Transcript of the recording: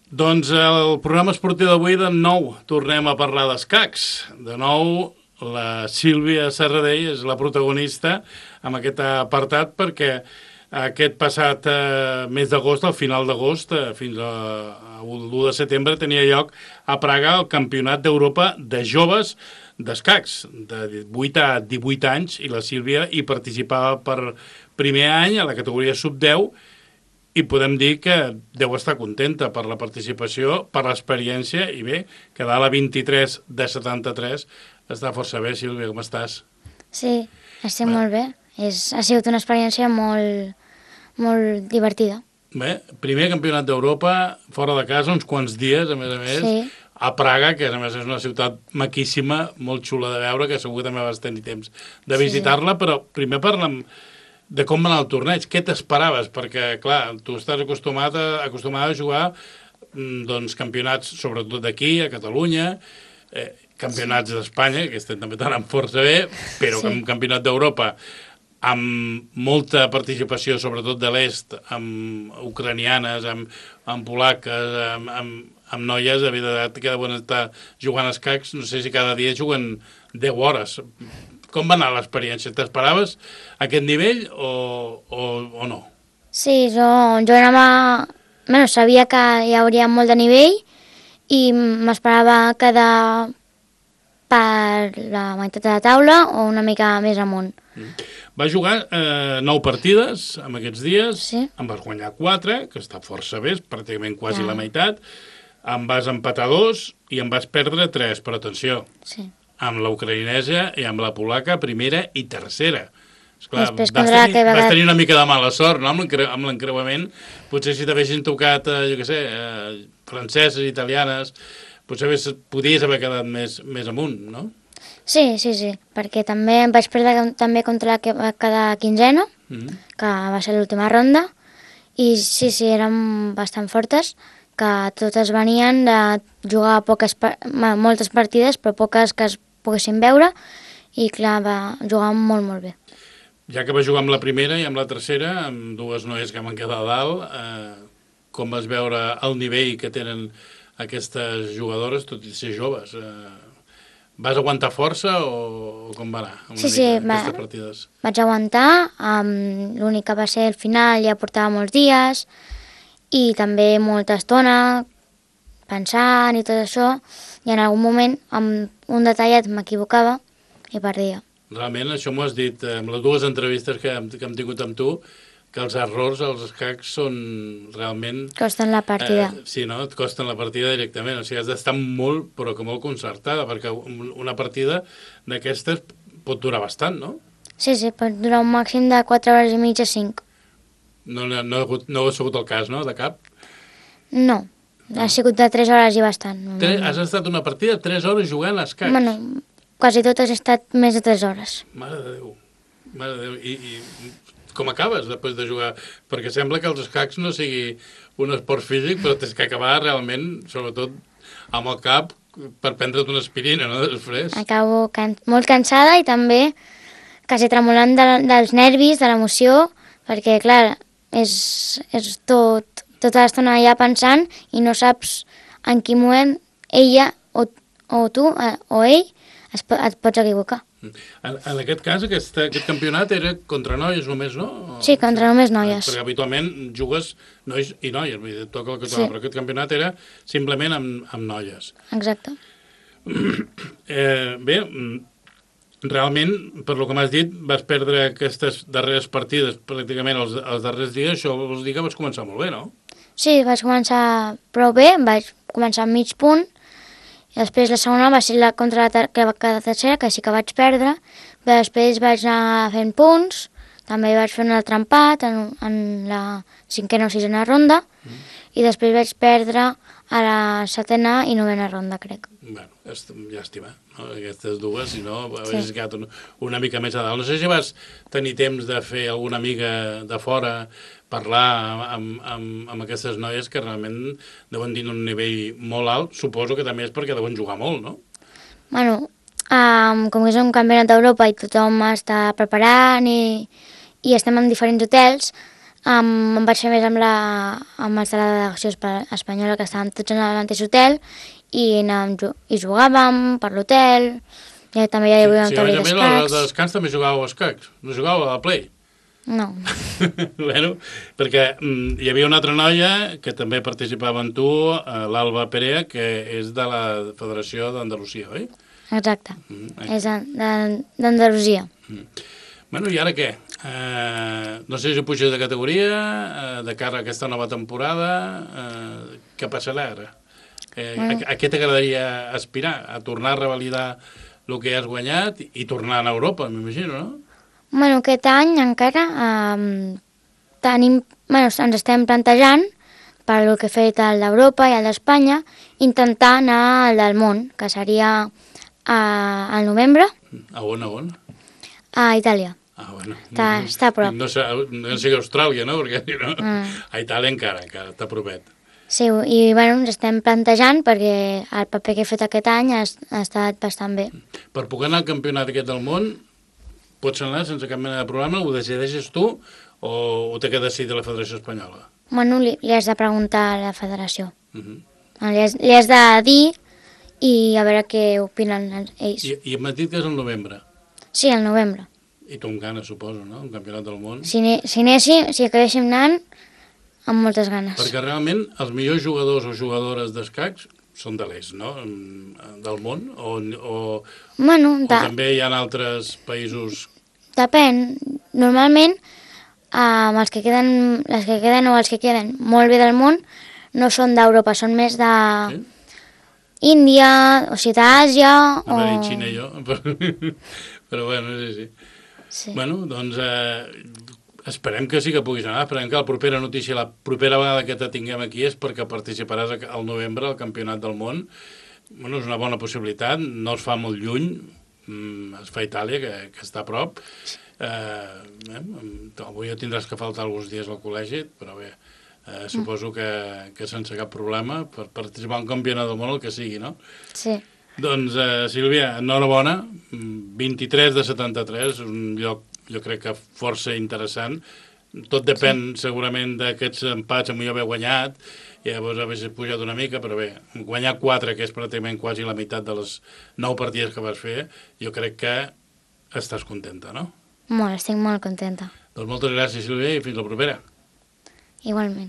Doncs el programa esportiu d'avui de nou tornem a parlar d'escacs. De nou la Sílvia Serradell és la protagonista amb aquest apartat perquè aquest passat mes d'agost, al final d'agost, fins l'1 de setembre, tenia lloc a Praga el Campionat d'Europa de joves d'escacs, de 8 a 18 anys, i la Sílvia hi participava per primer any a la categoria sub-10, i podem dir que deu estar contenta per la participació, per l'experiència, i bé, quedar a la 23 de 73 està força bé. Sílvia, com estàs? Sí, estic molt bé. Ha sigut una experiència molt divertida. Bé, primer campionat d'Europa, fora de casa, uns quants dies, a més, Sí. a Praga, que a més és una ciutat maquíssima, molt xula de veure, que segur que també vas tenir temps de visitar-la, però primer parlem de com va anar el torneig. Què t'esperaves? Perquè, clar, tu estàs acostumada a jugar doncs, campionats, sobretot d'aquí, a Catalunya, campionats d'Espanya, que estem també tan força bé, però un campionat d'Europa amb molta participació, sobretot de l'est, amb ucranianes, amb polaques, amb noies, de veritat que deuen estar jugant a escacs, no sé si cada dia juguen 10 hores. Com va anar l'experiència? T'esperaves aquest nivell o no? Sí, jo anava... Bueno, sabia que hi hauria molt de nivell i m'esperava quedar per la meitat de la taula o una mica més amunt. Va jugar 9 partides en aquests dies, Sí. en vas guanyar 4, que està força bé, pràcticament quasi la meitat, en vas empatar 2 i en vas perdre 3, però atenció, Sí. amb la ucraïnesa i amb la polaca primera i tercera. Esclar, Després vas tenir una mica de mala sort, no?, amb l'encreuament. Potser si t'haguessin tocat, jo què sé, franceses, italianes, potser podies haver quedat més amunt, no? Sí, perquè també em vaig perdre també contra la que va quedar quinzena, que va ser l'última ronda, i sí, eren bastant fortes, que totes venien de jugar moltes partides, però poques que es poguessin veure, i clar, va jugar molt bé. Ja que vas jugar amb la primera i amb la tercera, amb dues noies que van quedar a dalt, com vas veure el nivell que tenen aquestes jugadores, tot i ser joves? Vas aguantar força o com va anar aquestes partides? Vaig aguantar, l'únic que va ser el final ja portava molts dies i també molta estona pensant i tot això, i en algun moment amb un detallet m'equivocava i perdia. Realment, això m'ho has dit amb les dues entrevistes que hem tingut amb tu, que els errors als escacs són realment... Costen la partida. Sí, no? Et costen la partida directament. O sigui, has d'estar molt, però que molt concertada, perquè una partida d'aquestes pot durar bastant, no? Sí, pot durar un màxim de 4 hores i mitja, 5. No ha sigut el cas, no?, de cap? No, ha sigut de 3 hores i bastant. Has estat una partida 3 hores jugant a escacs? Bueno, quasi tot has estat més de 3 hores. Mare de Déu. Mare de Déu. I com acabes després de jugar? Perquè sembla que els escacs no sigui un esport físic, però tens que acabar realment, sobretot amb el cap, per prendre't una aspirina, no?, després. Acabo molt cansada i també quasi tremolant dels nervis, de l'emoció, perquè, clar, és tota l'estona allà pensant i no saps en quin moment ella o tu o ell et pots equivocar. En aquest cas, aquest campionat era contra noies només, no? Sí, contra només noies. Perquè habitualment jugues nois i noies, vull dir, toca el que toca, però aquest campionat era simplement amb noies. Exacte. Bé, realment, per lo que m'has dit, vas perdre aquestes darreres partides pràcticament els darrers dies, això vols dir que vas començar molt bé, no? Sí, vaig començar prou bé, vaig començar amb mig punt, i després la segona va ser contra la tercera, que sí que vaig perdre, però després vaig anar fent punts, també vaig fer un altre empat en la 5ª o 6ª ronda, i després vaig perdre a la 7ª i 9ª ronda, crec. Bueno, llàstima, no? Aquestes dues, si no, haguessis quedat una mica més a dalt. No sé si vas tenir temps de fer alguna amiga de fora, parlar amb aquestes noies que realment deuen tenir un nivell molt alt. Suposo que també és perquè deuen jugar molt, no? Bueno, com que és un campionat d'Europa i tothom està preparant i estem en diferents hotels, Em vaig fer més amb els de la delegació espanyola, que estàvem tots en el mateix hotel, i jugàvem per l'hotel, i també hi havia un taulell d'escacs. Sí, a d'escacs. de descans també jugàveu a escacs, no jugàveu a la Play. No. Bueno, perquè hi havia una altra noia que també participava amb tu, l'Alba Perea, que és de la Federació d'Andalusia, oi? Exacte, és d'Andalusia. Bueno, i ara què? No sé si puges de categoria, de cara a aquesta nova temporada, què passarà ara? A què t'agradaria aspirar? A tornar a revalidar el que has guanyat i tornar a Europa, m'imagino, no? Bueno, aquest any encara ens estem plantejant, per el que he fet el d'Europa i el d'Espanya, intentar anar al del món, que seria al novembre. A on? A Itàlia. Ah, bueno. Està a prop. No sé Austràlia, no? Perquè no, a Itàlia encara està propet. Sí, i bueno, ens estem plantejant perquè el paper que he fet aquest any ha estat bastant bé. Per poder anar al campionat aquest del món, pots anar sense cap mena de problema? Ho decideixes tu o ho té que decidir la Federació Espanyola? Bueno, li has de preguntar a la federació. Li has de dir i a veure què opinen ells. I hem dit que és el novembre? Sí, el novembre. I tu amb ganes, suposo, no? Un campionat del món? Si acabéssim anant, amb moltes ganes. Perquè realment els millors jugadors o jugadores d'escacs són de l'est, no? Del món? O també hi ha altres països? Depèn. Normalment, les que queden o els que queden molt bé del món no són d'Europa, són més de Índia, o sigui, d'Àsia... A veure, Xina i jo. Però bueno, sí. Bueno, doncs esperem que sí que puguis anar, esperem que la propera notícia, la propera vegada que te tinguem aquí és perquè participaràs al novembre al Campionat del Món. Bueno, és una bona possibilitat, no es fa molt lluny, es fa a Itàlia, que està a prop. Avui tindràs que faltar alguns dies al col·legi, però bé, suposo que sense cap problema per participar en un campionat del món, el que sigui, no? Sí. Doncs, Sílvia, enhorabona, 23 de 73, un lloc, jo crec que força interessant. Tot depèn segurament d'aquests empats, amb jo haver guanyat, i llavors haver pujat una mica, però bé, guanyar 4, que és pràcticament quasi la meitat de les 9 partides que vas fer, jo crec que estàs contenta, no? Molt, estic molt contenta. Doncs moltes gràcies, Sílvia, i fins la propera. Igualment.